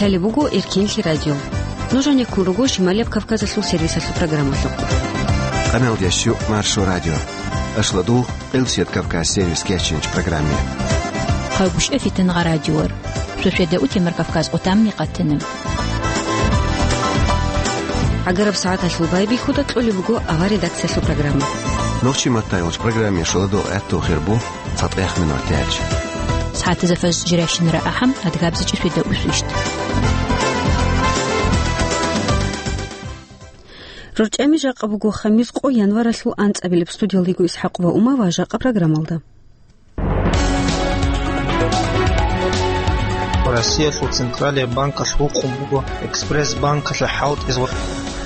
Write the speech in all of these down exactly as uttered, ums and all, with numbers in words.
Лъалеб буго Эркенлъи радио. Нуж гьанеккун руго Шималияб Кавказалъул сервисалъул программалъухъ. Къамел ящу Маршо радио. Ашладу Элсият Кавказ сервис кечинч программе. Хъагушев Фитангъа радиор. Суседа утемар Кавказ отамни къатана. Агараб сагӀаталъул байбихьуда кьолеб буго авар редакциялъул программа. Нохчи маттайолч программе шоладо гӀатту хирбу цатӀех минут яч. СагӀатазда фаз жиращинара ахӀам адгабзичӀи суседа усвищт. РорчӀами жакъа буго хамис къо январалъул анцӀабилеб. Студиялдего ИсхӀакъ ва Ума ва жакъа программалда. Россиялъул Централияб банкалъ гьукъун буго экспресс-банкалъе хӀалтӀизе.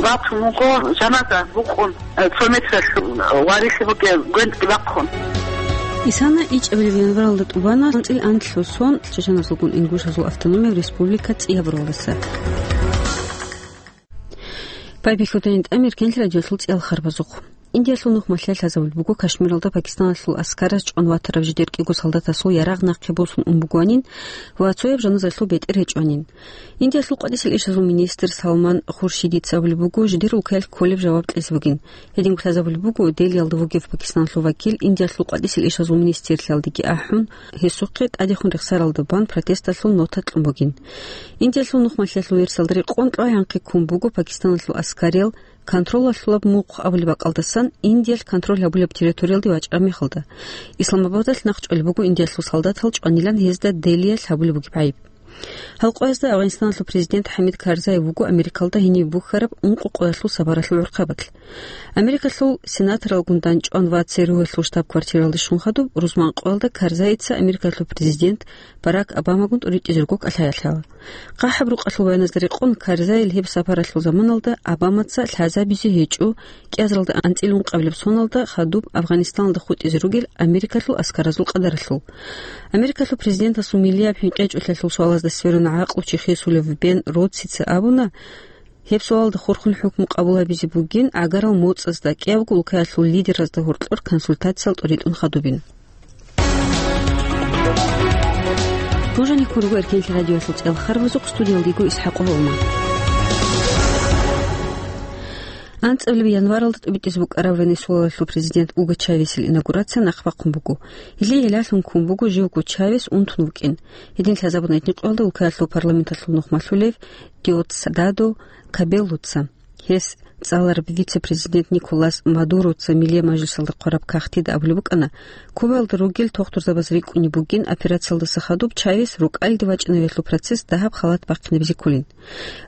Батун вуго жаназа букъун, э, цо метралъ варилъи бугеб гвентӀги бахъун. Исана ичӀабилеб январалда тӀубана анцӀил анлъго сон Чеченазулгун Ингушазул автономияб республика цӀияб ролдаса. Байбихьудайин тӀамир кенлъи радиолъул цӀиялхарбазухъ. Индиялъул нухмалъа лъазабулеб буго Кашмиралда Пакистаналъул аскараз чӀван ватарав жидер кӀиго солдатасул ярагъ нахъе босун ун бугоанин ва цояб жаназалъул бетӀер гьечӀоанин. Индиялъул къватӀисел ишазул министр Салман Хуршидица абулеб буго, жидер улкаялъ кколеб жаваб кьезе бугин. Гьединго лъазабулеб буго, Делиялда вугев Пакистаналъул вакил Индиялъул къватӀисел ишазул министрлъиялдеги ахӀун, гьесухъе тӀадехун рехсаралда бан протесталъул нота кьун бугин. Индиялъул нухмалъиялъул версиялда рекъон кьвагӀанхъе ккун буго Пакистаналъул аскариял контролалъулаб мухъ абулеб бакӀалдасан Индиялъ контроль гьабулеб территориялде вачӀараб мехалда. Исламабадалъ нахъчӀвалеб буго Индиялъул солдатал чӀванилан гьезда Делиялъ гьабулеб бугеб гӀайиб. Гьал къоязда Афганистаналъул президент ХӀамид Карзай вуго Америкалда гьениб бухьараб ункъо къоялъул сапаралъул гӀурхъабазда. Америкалъул сенаторалгун дандчӀван ва ЦРУ-ялъул штаб-квартиралде щун хадуб, рузман къоялда Карзайица Америкалъул президент Барак Обамагун тӀуритӀизе руго кӀалъаялъ гьала. ХъахӀаб рукъалъул баяназда рекъон, Карзайил гьеб сапаралъул заманалда Обамаца лъазабизе гьечӀо кӀиазаралда анцӀила ункъабилеб соналда хадуб Афганистаналда хутӀизе ругел Америкалъул аскаразул къадаралъул. Америкалъул президентасул миллияб хӀинкъичӀолъиялъул суалазда сверун гӀакълу чи хисулев Бен Ротсица абуна, гьеб суалалда хурхун хӀукму къабул гьабизе бугин гӀагарал моцӀазда, кӀиябго улкаялъул лидеразда гьоркьор консультациялъ тӀуритӀун хадубин. Нуж гьанеккун руго Эркенлъи радиоялъул цӀиялъ харбазухъ, студиялдего ИсхӀакъ Гьолман. АнцӀабилеб январалда тӀубитӀизе букӀараб Венесуэлалъул президент Уго Чавесил инаугурация нахъ бахъун буго. Гьеле гӀелалъун ккун буго живго Чавес унтун вукӀин. Гьедин лъазабуна гьитӀинкъоялда улкаялъул парламенталъул нухмалъулев Диосдадо Кабеллоца. Гьес цӀалараб вице-президент Николас Мадуроца Миллияб мажлисалда хъвараб кагътида абулеб букӀана, Кубаялда ругел тохтурзабаз рикӀкӀунеб бугин операциялдаса хадуб Чавес рукӀалде вачӀинавиялъул процесс дагьаб халат бахъинабизе кколин.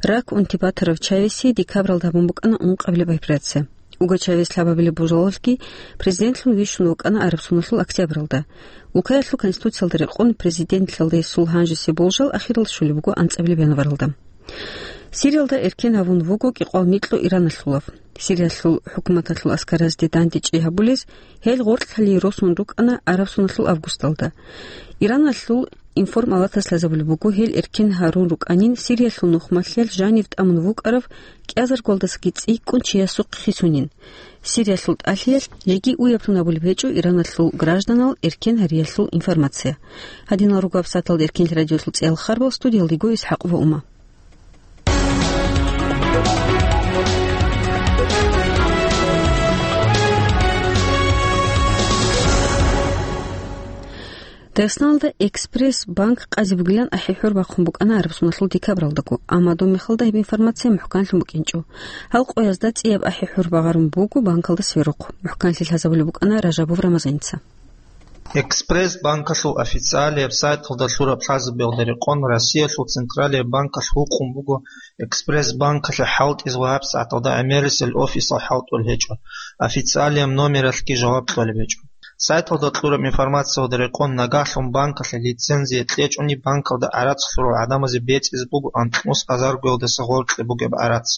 Рак унти батарав Чавеси декабралда гьабун букӀана ункъабилеб операция. Уго Чавес лъабабилеб божалалъги президентлъун вищун вукӀана араб соналъул октябралда. Улкаялъул конституциялда рекъон президентлъалда гьесул гьанжесеб болжал ахирал щолеб буго анцӀабилеб январалда. Сириялда эркен гьавун вуго кӀикъвал микьго Ираналъулав. Сириялъул хӀукуматалъул аскаразде дандечӀи гьабулез гьел гъоркьлъи росун рукӀана араб соналъул августалда. Ираналъул информпалатас лъазабулеб буго, гьел эркен гьарун рукӀанин Сириялъул нухмалъиялъ жанив тӀамун вукӀарав кӀиазаргоялдасаги цӀикӀкӀун чиясухъ хисунин. Сириялъул тӀалъиялъ жеги уяблъун абулеб гьечӀо Ираналъул гражданал эркен гьариялъул информация. Гьадинал руго гьабсагӀаталда Эркенлъи радиоялъул цӀиялъ харбал, студиялдего ИсхӀакъ ва Ума. Дагъистаналда Экспресс-банк къазе бугилан ахӀи-хӀур бахъун букӀана араб соналъул декабралдаго, амма доб мехалда гьеб информация мухӀканлъун букӀинчӀо. Гьал къоязда цӀияб ахӀи-хӀур багъарун буго банкалда сверухъ. МухӀканлъи лъазабулеб букӀана Ражабов Рамазаница. Экспресс-банкалъул официалияб сайталда лъураб лъазабиялда рекъон, Россиялъул Централияб банкалъ гьукъун буго Экспресс-банкалъе хӀалтӀизе ва гьабсагӀаталда гӀемерисел офисал хӀалтӀулеб гьечӀо, официалияб номералъги жаваб кьолеб гьечӀо. Сайталда кьураб информациялда рекъон, нагагьлъун банкалъе лицензия кьечӀони, банкалда гӀарац лъурал гӀадамазе бецӀизе буго анкьнус азаргоялдаса гъоркье бугеб гӀарац.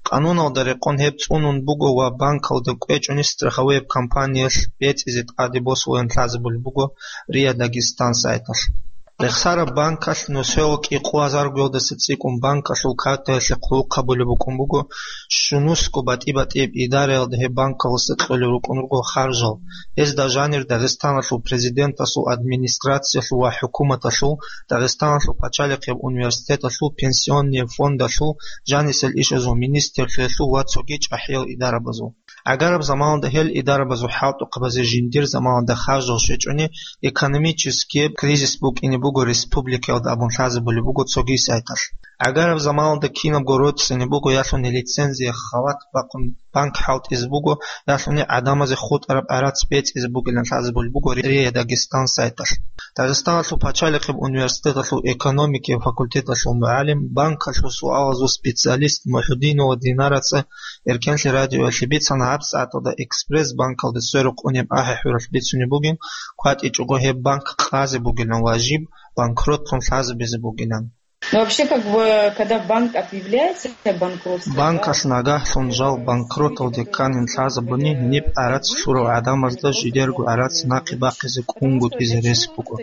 Къануналда рекъон гьеб цӀунун буго ва банкалда кӀвечӀони страховой компаниялъ бецӀизе тӀаде босуларин лъазабулеб буго РИА Дагестан сайталъ. Рехсараб банкалъ нусоялъ кӀикъоялда цӀикӀкӀун банкалъул картаялъе хъулухъ гьабулеб букӀун буго, щунусго батӀи-батӀияб идараялда гьеб банкалъуса кьолел рукӀун руго харжал. Гьезда жанир Дагъистаналъул президенталъул администрациялъул ва хӀукуматалъул, Дагъистаналъул пачалихъияб университеталъул, пенсионный фондалъул, жанисел ишазул министрлъиялъул ва цоги чӀахӀиял идарабазул. ГӀагараб заманалда гьел идарабазул хӀалтӀухъабазе жиндир заманалда харжал щвечӀони, экономический кризис букӀине буго республикаялда абун лъазабулеб буго цоги сайталъ. ГӀагараб заманалда кинабго роцӀцӀине буго ялъуни лицензия халат бахъун банк хӀалтӀизе буго, ялъуни гӀадамазе хутӀараб гӀарац бецӀизе бугилан лъазабулеб буго РИА Дагестан сайталъ. Дагъистаналъул пачалихъияб университеталъул экономикияй факультеталъул мугӀалим, банкалъул суалазул специалист Мухьудинова Динараца Эркенлъи радиоялъе бицана гьабсагӀаталда Экспресс банкалда сверухъ унеб ахӀи-хӀуралъ бицунеб бугин, кватӀичӀого гьеб банк къазе бугилан ва жиб банкротлъун лъазабизе бугилан. Ну, вообще, как бы, когда банк объявляется банкротством, да, Банкалъ нагагьлъун жал банкроталде кканин лъазабуни, гьениб гӀарац лъурал гӀадамазда жидерго гӀарац нахъе бахъизе кӀунгутӀизе рес буго.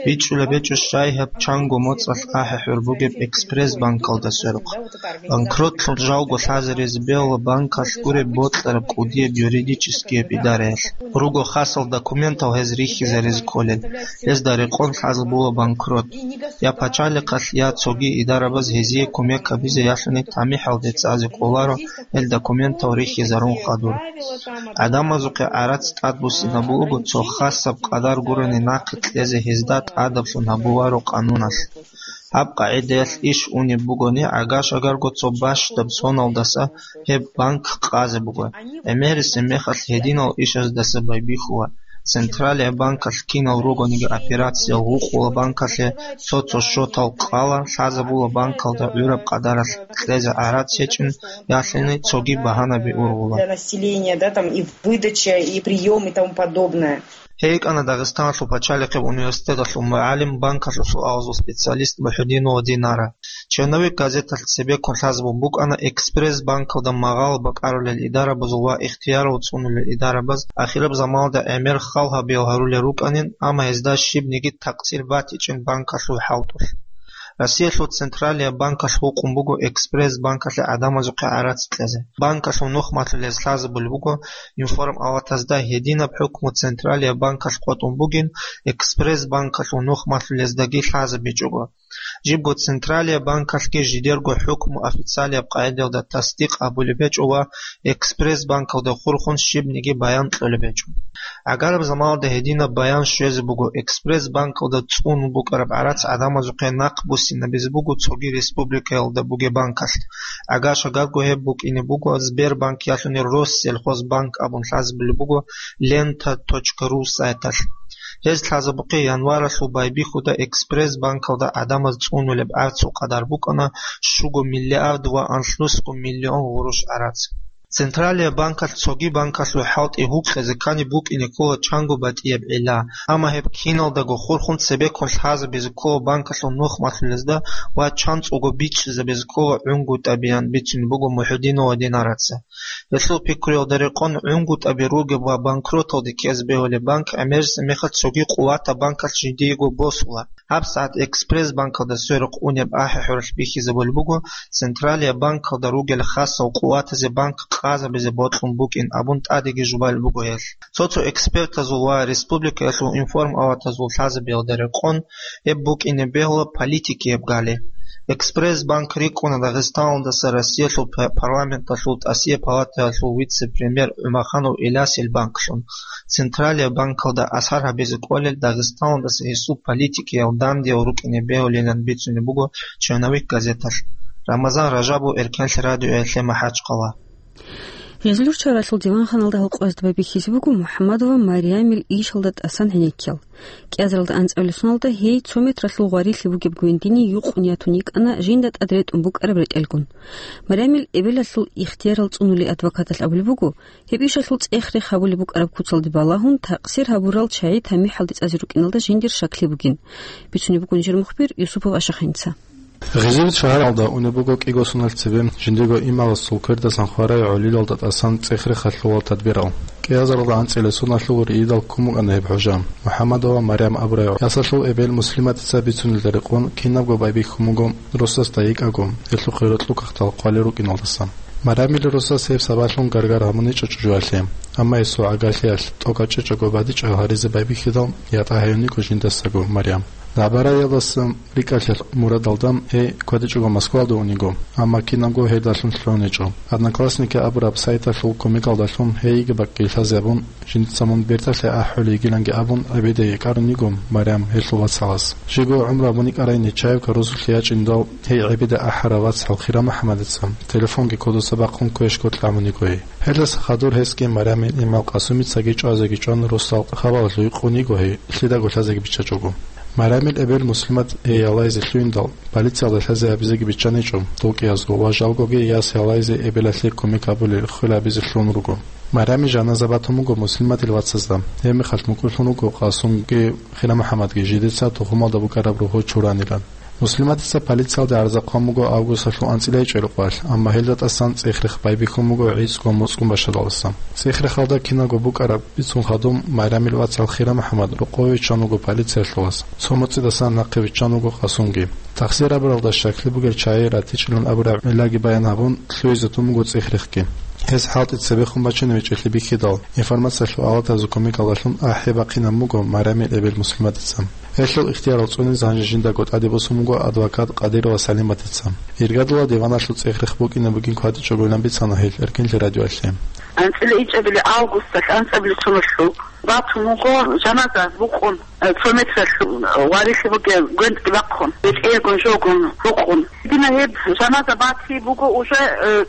БичӀчӀулеб гьечӀо щай гьаб чанго моцӀалъ ахӀи-хӀур бугеб Экспресс банкалда сверухъ. Банкротлъун жалго лъазаризе бегьула банкалъ гуреб бокьараб кӀудияб юридическияб идараялъ. Руго хасал документал гьез рихьизаризе кколел. Гьезда рекъон лъазабула банкрот. Я пачалихъалъ, я цоги идарабаз гьезие кумек гьабизе ялъуни тамихӀалде цӀазе кӀоларо гьел документал рихьизарун хадур. ГӀадамазухъе гӀарац тӀадбуссинабулго цо хасаб къадар гурони нахъе кьезе гьезда тӀадаблъун гьабуларо къануналъ. Гьаб къагӀидаялъ иш унеб бугони, гӀага-шагарго цо бащдаб соналдаса гьеб банк къазе буго. ГӀемерисеб мехалъ гьединал ишаздаса байбихьула. Централия банкалъ кинал ругониги операциял гьукъула банкалъе, цо-цо счетал къала, лъазабула банкалда гӀураб къадаралъ кьезе гӀарац гьечӀин, ялъуни цоги багьанаби ургъула. Для населения, да, там и выдача, и приём, и тому подобное. ГьейкӀана Дагъистаналъул пачалихъеб университеталъул мугӀалим, банкалъул суалазул специалист Мухьудинова Динара. Черновик газеталъ цебеккун лъазабун букӀана Экспресс банкалда магъал бакӀарулел идарабазул ва ихтиярал цӀунулел идарабаз ахираб заманалда гӀемер хал гьабиял гьарулел рукӀанин, амма гьезда щибниги такъсир батичӀин банкалъул хӀалтӀулъ. Россиялъул Централия банкалъ гьукъун буго Экспресс банкалъе гӀадамазухъе гӀарац кьезе. Банкалъул нухмалъулез лъазабулеб буго информалатазда гьединаб хӀукму Централия банкалъ къотӀун бугин, Экспресс банкалъул нухмалъулездаги лъазабичӀого. Жибго Централия банкалъги жидерго хӀукму официалияб къагӀидаялда тасдикъ гьабулеб гьечӀо ва Экспресс банкалда хурхун щибниги баян кьолеб гьечӀо. ГӀагараб заманалда гьединаб баян щвезе буго Экспресс банкалда цӀунун букӀараб гӀарац гӀадамазухъе нахъ буссинабизе буго цоги республикаялда бугеб банкалъ. ГӀага-шагарго гьеб букӀине буго Сбербанк ялъуни Россельхозбанк абун лъазабулеб буго лента точка ру сайталъ. Гьез лъазабухъе январалъул байбихьуда Экспресс банкалда гӀадамаз цӀунулеб гӀарцул къадар букӀана щуго миллиард ва анлънусго миллион гъурущ гӀарац. Централия банкалъ цоги банкалъул хӀалтӀи гьукъизе ккани букӀине ккола чанго батӀияб гӀилла, амма гьеб киналдаго хурхун цебеккун лъазабизе ккола банкалъул нухмалъулезда ва чанцӀулго бичӀчӀизабизе ккола гӀунгутӀабиян бицунеб буго Мухьудинова Динараца. Гьелъул пикруялда рекъон гӀунгутӀаби ругеб ва банкроталде ккезе бегьулеб банк гӀемерисеб мехалъ цоги къуватаб банкалъ жиндиего босула. ГьабсагӀат Экспресс банкалда сверухъ унеб ахӀи-хӀуралъ бихьизабулеб буго Централия банкалда ругел хасал къуватазе банк къазабизе бокьун букӀин абун тӀадеги жубалеб буго гьелъ. Цо-цо экспертазул ва республикаялъул информалатазул лъазабиялда рекъон гьеб букӀине бегьула политикияб гали. Экспресс банк рикӀкӀуна Дагъистаналдаса Россиялъул п-, парламенталъул тӀасияб палатаялъул вице-премьер ГӀумаханов Илясил банклъун. Централия банкалда асар гьабизе кӀолел Дагъистаналдаса гьесул политикиял дандиял рукӀине бегьулилан бицунеб буго Черновик газеталъ. Рамазан Ражабов, Эркенлъи радиоялъе, МахӀачхъала. Гъезлур чаралъул диванханалда гьалкъоязда байбихьизе буго МухӀаммадова Мариямил ишалда тӀасан гӀенеккиял. КӀиазаралда анцӀабилеб соналда гьей цо метралъул гъварилъи бугеб гвендине юкъун ятун йикӀана жинда тӀад ретӀун букӀараб ретӀелгун. Мариямил эбелалъул ихтиярал цӀунули адвокаталъ абулеб буго, гьеб ишалъул цӀех-рех гьабулеб букӀараб куцалде балагьун, такъсир гьабурал чагӀи тамихӀалде цӀазе рукӀиналда жиндир щаклъи бугин. Бицунеб буго нижер мухбир Юсупов Ашахъинца. Гъизивит шагьаралда унеб буго кӀиго соналъ цебе жиндирго имамасул квердасан хварай гӀолилалда тӀасан цӀех-рех лъолал тадбирал. КӀиазаралда анцӀила соналъул риидал ккун букӀана гьеб хӀужа. МухӀаммадова Марям абурай ясалъул эбел Муслиматица бицунелда рекъон кинабго байбихьун буго росасда йикӀаго, гьелъухъе рокьукахтал хъвалел рукӀиналдаса. Марямил росас гьеб сабаблъун гаргар гьабуничӀо чӀужуялъе, амма гьесул гӀагарлъиялъ тӀокӀав чӀечӀого бадичӀав гьаризе байбихьидал, ятӀа гьаюниго жиндасаго Марям. Набараялдаса рикӀкӀалъиялъ мурадалда гьей квадичӀого Москвалда униго, амма кинабго гьелдалъун лъугьуничӀо. «Одноклассники» абураб сайталъул кумекалдалъун гьей йиги бакӀги лъазе абун, жиндица мун бертӀалъе ахӀулей йигиланги абун, гӀебеде йикӀарун йиго Марям гьелъул вацалас. Жего гӀумру гьабун йикӀарай Нечаевка росулъе ячӀиндал, гьей гӀебеде ахӀарав вацал Хира МухӀаммадица телефонги кодоса бахъун квешго кьамун йиго гьей. Гьелдаса хадур гьесги Марямил имал Къасумицаги чӀвазеги чӀван, росдал хабалалъув йикъун йиго гьей, лъидаго лъазеги биччачӀого. Марямил эбел Муслимат гьей гьалайзе лъугьиндал, полициялда лъазе гьабизеги биччаничӀо, дов кӀиязго ва жалгоги яс гьалайзе эбелалъе кумек гьабулел хвел гьабизе лъугьун руго. Марямил жаназа батун буго Муслиматил вацазда, гьеб мехалъ мукӀурлъун руго Къасумги Хира МухӀаммадги, жидеца тухумалда букӀараб рогьо чуранилан. Муслиматица полициялде гӀарза хъван буго августалъул анцӀила гьечӀеб къоялъ, амма гьелда тӀасан цӀех-рех байбихьун буго гӀицӀго моцӀгун башадалдаса. ЦӀех-рехалда киналго букӀараб бицун хадуб, Марямил вацал Хира МухӀаммад рокъове виччан вуго полициялъулас, цо моцӀидасан нахъе виччан вуго Къасумги. Тахсир абуралда щаклъи бугел чагӀи ратичӀилан абураб гӀиллаги баян гьабун, лъугьизе тун буго цӀех-рехги. Гьес хӀалтӀи цебехун бачине вечӀеблъи бихьидал, информациялъул авлатазул кумекалдалъун ахӀи бахъинаб буго Марямил эбел Муслиматица. Гьелъул ихтиярал цӀунизе гьанже жиндаго тӀаде босун буго адвокат Къадирова Салиматица. Иргадула диваналъул цӀех-рех букӀине бугин квадичӀогойилан бицана гьел Эркинлъи радиоялъе. АнцӀила ичӀабилеб августалъ анцӀабилеб соналъул батун вуго жаназа букъун, э, цо метралъ варихьи бугеб гвентӀги бахъун, бетӀергун жогун рукъун. Дина гьеб жаназа батизе буго уже, э,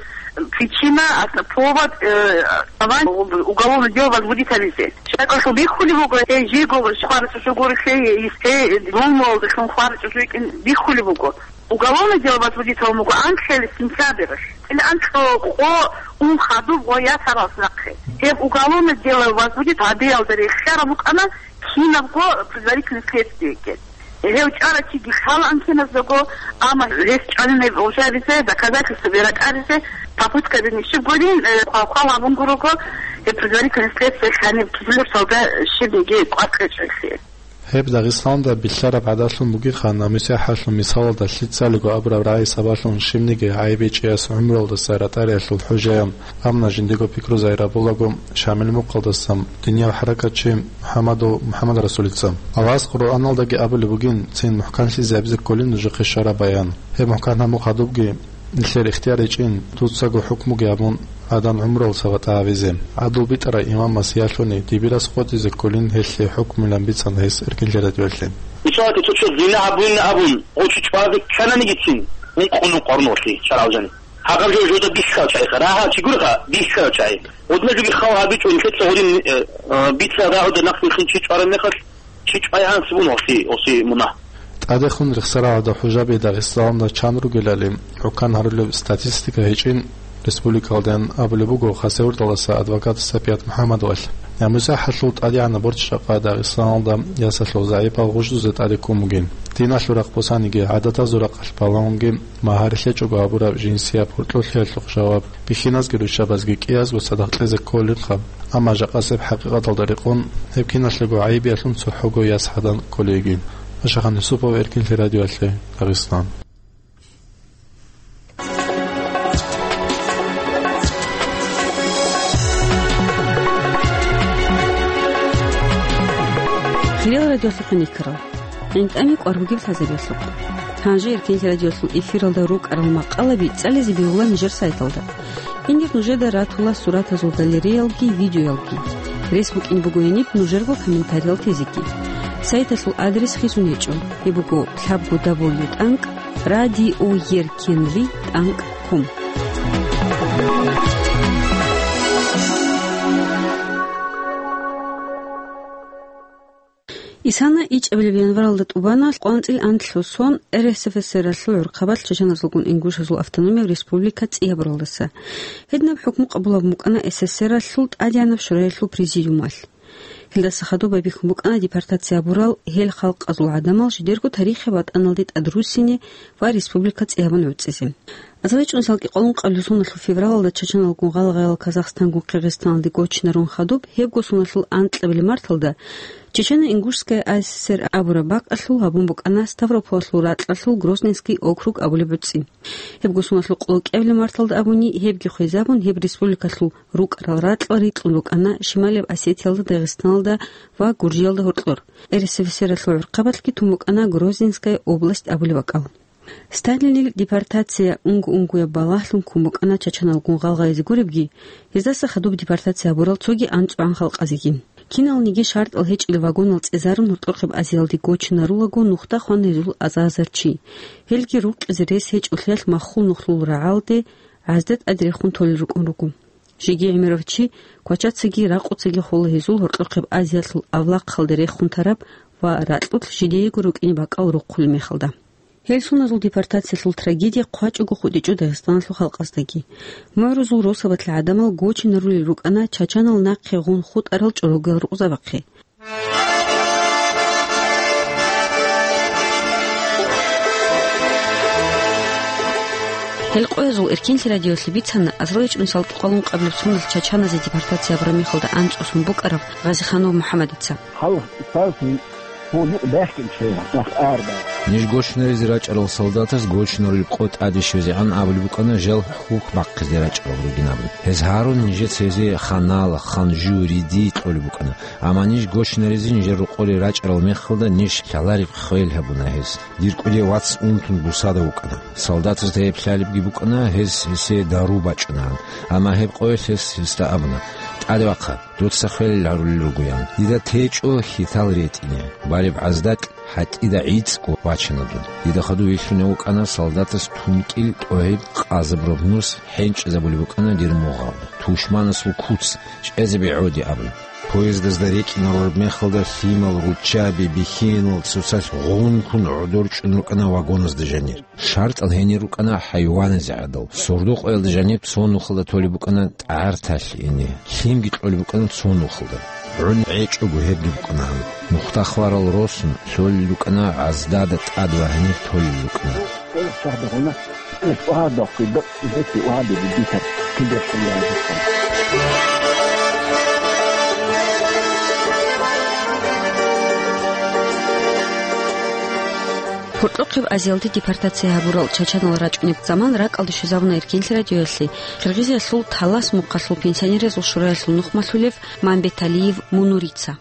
причина, ас-, повод, э, основание уголовное дело возбудить гьабизе. ЧӀакӀалъув бихьулеб буго, гьей жего хварачӀужу гурелъул, гьей дулмуялдалъун хварачӀужу йикӀин бихьулеб буго. Уголовное дело возбудить гьабун буго анлъабилеб сентябралъ. Ил анлъго къо ун хадуб гъо ясаралъ нахъе. Гьеб уголовное дело возбудить гьабиялда рехсараб букӀана кинабго предварительное следствиеги. Гьев чӀарав чиги лъала анкиназдаго, амма гьес чӀванинаб уже гьабизе, доказательстваби ракӀаризе, попытка бинищиб гурин, э, хъвал-хъвал гьабун гурого, гьеб предварительное следствие лъаниб кизилурсалда щибниги кӀвар кьечӀелъи. Гьеб Дагъистанда бихьараб гӀадалъун бугеха, намусихӀалъул мисалалда лъицалиго абураб рагӀи сабаблъун щибниги гӀайиб гьечӀеяс гӀумруялдаса ратӀариялъул хӀужаян, амма жиндиего пикру загьир гьабулаго Шамил мухъалдаса динияв хӀаракатчи МухӀаммадов МухӀаммадрасулица. Аллагьас Къуръаналдаги абулеб бугин, цин мухӀканлъизе гьабизе кколин нужехъе щвараб баян. Гьеб мухӀкан гьабун хадубги, нилъер ихтияр гьечӀин, дуцаго хӀукмуги гьабун, гӀадан гӀумруялдаса ватӀа гьавизе. ГӀадлу битӀарай имамас ялъуни дибирас къотӀизе кколин гьелъие хӀукмуялъ бицана гьес Эркинлъи радиоялъе. Мисалалъе, цо чияс зина гьабуна абун, гъов чи чӀвазе ккананигицин, ункъо-нукъо гьарун вахъи шаргӀалъ жани. Гьагъаб жо-, жода бихьарав чагӀи, рагьа чи гурха, бихьарав чагӀи. Гъодина жоги хал гьабичӀо, нилъеца гъодин, э, э, бицараб рагӀуда нахъ вихьин чи чӀвараб мехалъ, чи чӀвай гьанси бун гьоси, гьоси мунагь. ТӀадехун рехсаралда хӀужаби Дагъистаналда чан ругелали, хӀукан гьарулеб статистика гьечӀин, республикалдаян абулеб буго Хасавюрталдаса адвокат Сапият МухӀаммадовалъ. НамусахӀалъул тӀадегӀанаб борчӀ жакъа Дагъистаналда ясалъул загӀипал гъуждузе тӀаде ккун бугин. Диналъул рахъ босаниги, гӀадатазул рахъалъ балагьунги, магьари лъечӀого гьабураб жинсияб гьоркьоблъиялъухъ жаваб, бихьиназги руччабазги кӀиязго цадахъ кьезе кколинха, амма жакъасеб хӀакъикъаталда рекъон, гьеб киналъего гӀайибиялъун цохӀого яс гьадан кколейги. Ашахан Юсупов, Эркинлъи радиоялъе, Дагъистан. Хириял радиолъухъ никарал. ГӀинтӀами кӀвар бугеб лъазабиялъухъ. Гьанже Эркинлъи радиолъул эфиралда рукӀарал макъалаби цӀализе бегьула нижер сайталда. Гьенир нужеда ратула суратазул галереялги видеоялги. Рес букӀин буго гьениб нужерго комментариял тезеги. Сайталъул адрес хисун гьечӀо. Гьеб буго лъабго дабл ю тӀанкӀ радиоеркинлъи тӀанкӀ ком. Исана ичӀабилеб январалда тӀубана къванцӀил анлъго сон РСФСР-алъул гӀурхъабаз чачаназулгун Ингушазул автономияб республика цӀиябуралдаса. Гьединаб хӀукму къабулаб букӀана СССР-алъул ТӀадегӀанаб Шораялъул президиумалъ. Гьелдаса хадуб байбихьун букӀана депортация гьабурал гьел халкъазул гӀадамал жидерго тарихи ватӀаналде тӀадруссине ва республика цӀи гьабун гӀуцӀизе. Азарилъ чӀун салкӀи къолун къабилеб соналъул февралалда чачаналгун гъалгъаял Казахстангун Киргизстаналде гочинарун хадуб, гьебго соналъул анкьабилеб марталда Чечено-Ингушская А С С Р абураб бакӀалъул гьабун букӀана Ставрополалъул ракьалъул Грозненский округ абулеб гӀуцӀи. Гьебго соналъул къоло кӀиабилеб марталда абуни, гьебги хвезабун, гьеб республикалъул рукӀарал ракьал рикьун рукӀана Шималияб Осетиялда, Дагъистаналда ва Гуржиялда гьоркьор. Р С Ф С Р-алъул гӀурхъабалъги тун букӀана Грозненская область абулеб бакӀал. Сталинил депортация унго-унгояб балагьлъун ккун букӀана чачаналгун гъалгъайзе гуребги, гьездаса хадуб депортация гьабурал цоги анцӀгӀан халкъазеги. Киналниги шартӀал гьечӀел вагонал цӀезарун гьоркьохъеб Азиялде гочинарулаго нухда хвана гьезул аза-азар чи. Гьелги рукъизе рес гьечӀолъиялъ маххул нухлул рагӀалде гӀазда тӀаде рехун толел рукӀун руго. Жеги гӀемерав чи квачацаги ракъуцаги хола гьезул гьоркьохъеб Азиялъул авлахъалде рехун тараб ва ракьулъ жидеего рукӀине бакӀал рохъулеб мехалда. Гьел соназул депортациялъул трагедия хъвачӀого хутӀичӀо Дагъистаналъул халкъаздаги. МугӀрузул росабалъ гӀадамал гочинарулел рукӀана чачанал нахъе гъун хутӀарал чӀорогел рукъзабахъе. Гьел къоязул Эркенлъи радиолъи бицана азарилъ чӀун салкӀи къолун къабилеб соналъ чачаназе депортация гьабураб мехалда анцӀго сон букӀарав Гъазиханов МухӀаммадица. Гьал саз гьул юкъ бехкинчӀей, нах арда. Ниж гочнаризе рачӀарал солдатаз гочнарулеб къо тӀаде щвезегӀан абулеб букӀана жал хьухь бахъизе рачӀарал ругин абун. Гьез гьарун нижеца гьезие ханал, ханжу, риди кьолеб букӀана. Амма ниж гочнаризе нижер рокъоре рачӀарал мехалда ниж лъалареб хвел гьабуна гьез. Дир кӀудияв вац унтун бусада вукӀана. Солдатаз гьеб лъалебги букӀана, гьез гьесие дару бачӀунаан. Амма гьеб къоялъ гьес гьесда абуна: «ТӀаде вахъа, дуца хвел гьарулел ругоян. Дида течӀо хьитал ретӀине, балеб гӀаздакь гьатӀида гӀицӀго вачана дун». Дида хадув вилълъунев вукӀана солдатас тункӀил тӀогьиб къазабураб нус хӀенчӀезабулеб букӀана дир мугъалда. Тушманасул куц чӀезаби гӀоди абун. Поездазда рекӀинарураб мехалда лъимал, руччаби, бихьинал цоцалъ гъункун гӀодор чӀун рукӀана вагоназда жанир. ШартӀал гьенир рукӀана хӀайваназе гӀадал. Сордо-къоялда жаниб цо нухалда толеб букӀана тӀагӀар талъи ине. Лъимги кьолеб букӀана цо нухалда. ГӀун гӀечӀого гьебги букӀана гьаниб. Нухда хварал росун, лъолел рукӀана гӀаздада тӀад ва гьанир толел рукӀана. Гьоркьохъеб Азиялде депортация гьабурал чачанал рачӀунеб заман ракӀалде щвезабуна Эркенлъи радиоялъе Киргизиялъул Талас мухъалъул пенсионерзул шураялъул нухмалъулев Мамбеталиев Мунурица.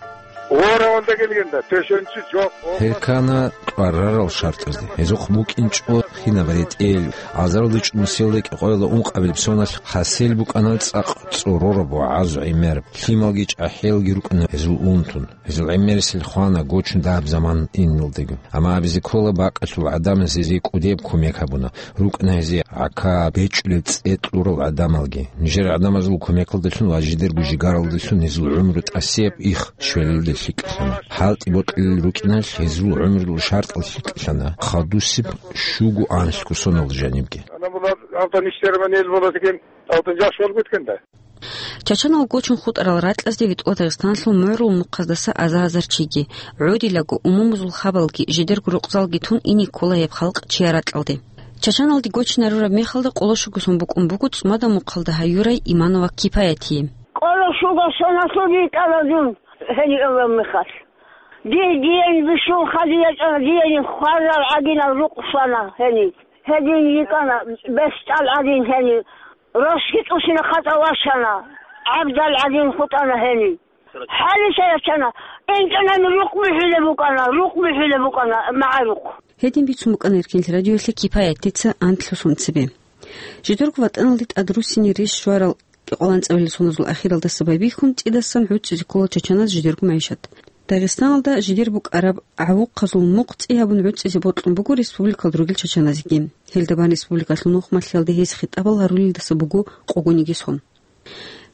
Гьоравалда гелгенда, тешенчи жо. Гьел ккана тӀварарал шартӀазде. Гьезухъ букӀинчӀо хинаб ретӀел, азаралда чӀун нусиялда кӀикъоялда ункъабилеб соналъ хасел букӀана цӀакъ цӀорораб ва гӀазу гӀемераб. Лъималги чӀахӀиялги рукӀана гьезул унтун. Гьезул гӀемерисел хвана гочун дагьаб заман иналдаго. Амма абизе ккола, бакӀалъул гӀадамаз гьезие кӀудияб кумек гьабуна. РукӀана гьезие гӀака, бечӀулеб цӀе кьурал гӀадамалги. Нижер гӀадамазул кумекалдалъун ва жидерго жигаралдалъун гьезул гӀумру тӀасияб их щвелалде лъикӀлъана. ХӀалтӀи бокьулел рукӀиналъ гьезул гӀумрул шартӀал лъикӀлъана, хадусеб щуго анлъго сонал жанибги. Чачанал гочун хутӀарал ракьазде витӀула Дагъистаналъул мугӀрул мухъаздаса аза-азар чиги, гӀодилаго умумузул хабалги, жидерго рукъзалги тун ине ккола гьеб халкъ чияр ракьалде. Чачаналде гочинарураб мехалда къоло щуго сон букӀун буго ЦӀумада мухъалда гьаюрай Иманова Кипаятие. Къоло щуго соналъул йикӀана дун гьениб эвлав мехалъ. Дир диен бищун хадуб ячӀана, диен хварал гӀадинал рукъ щвана гьениб. Гьедин йикӀана, бесчӀал гӀадин гьениб. Росги тӀусина хатӀа ващана, гӀабдал гӀадин хутӀана гьениб. ХӀалиса ячана, инчӀанани рукъ бихьулеб букӀана, рукъ бихьулеб букӀана, магӀарухъ. Гьедин бицун букӀана Эркенлъи радиоялъе Кипаятица анлъго сон цебе. Жидерго ватӀаналде тӀад руссине рес щварал кӀикъоялда анцӀабилеб соназул ахиралдаса байбихьун, цӀидасан гӀуцӀизе ккола чачаназ жидерго магӀишат. Дагъистаналда жидер букӀараб гӀавухъазул мухъ цӀи гьабун гӀуцӀизе бокьун буго республикалда ругел чачаназеги. Гьелда бан республикалъул нухмалъиялда гьез хитӀабал гьарулелдаса буго къогониги сон.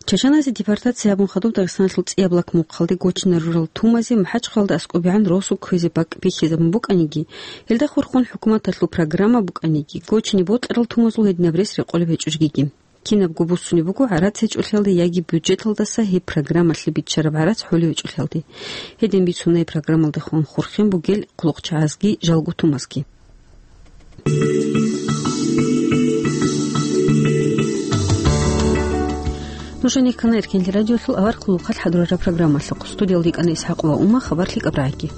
Чачаназе депортация гьабун хадуб Дагъистаналъул ЦӀияб лак мухъалде гочинарурал тумазе МахӀачхъалаялда аскӀобегӀан росу кквезе бакӀ бихьизабун букӀаниги, гьелда хурхун хӀукуматалъул программа букӀаниги, гочине бокьарал тумазул гьединаб рес рекъолеб гьечӀо жегиги. кинабго буссунеб буго гӀарац гьечӀолъиялде яги бюджеталдаса гьеб программалъе биччараб гӀарац хӀолевичӀолъиялде. Гьедин бицунай программалдехун хурхен бугел хъулухъчагӀазги жалгутумазги. Нуж гьанир ккана Эркенлъи радиолъул авар хъулухъалъ хӀадурараб программалъухъ. Студиялда йикӀана ИсхӀакъова Ума, хабар лъикӀаб рагӀиги.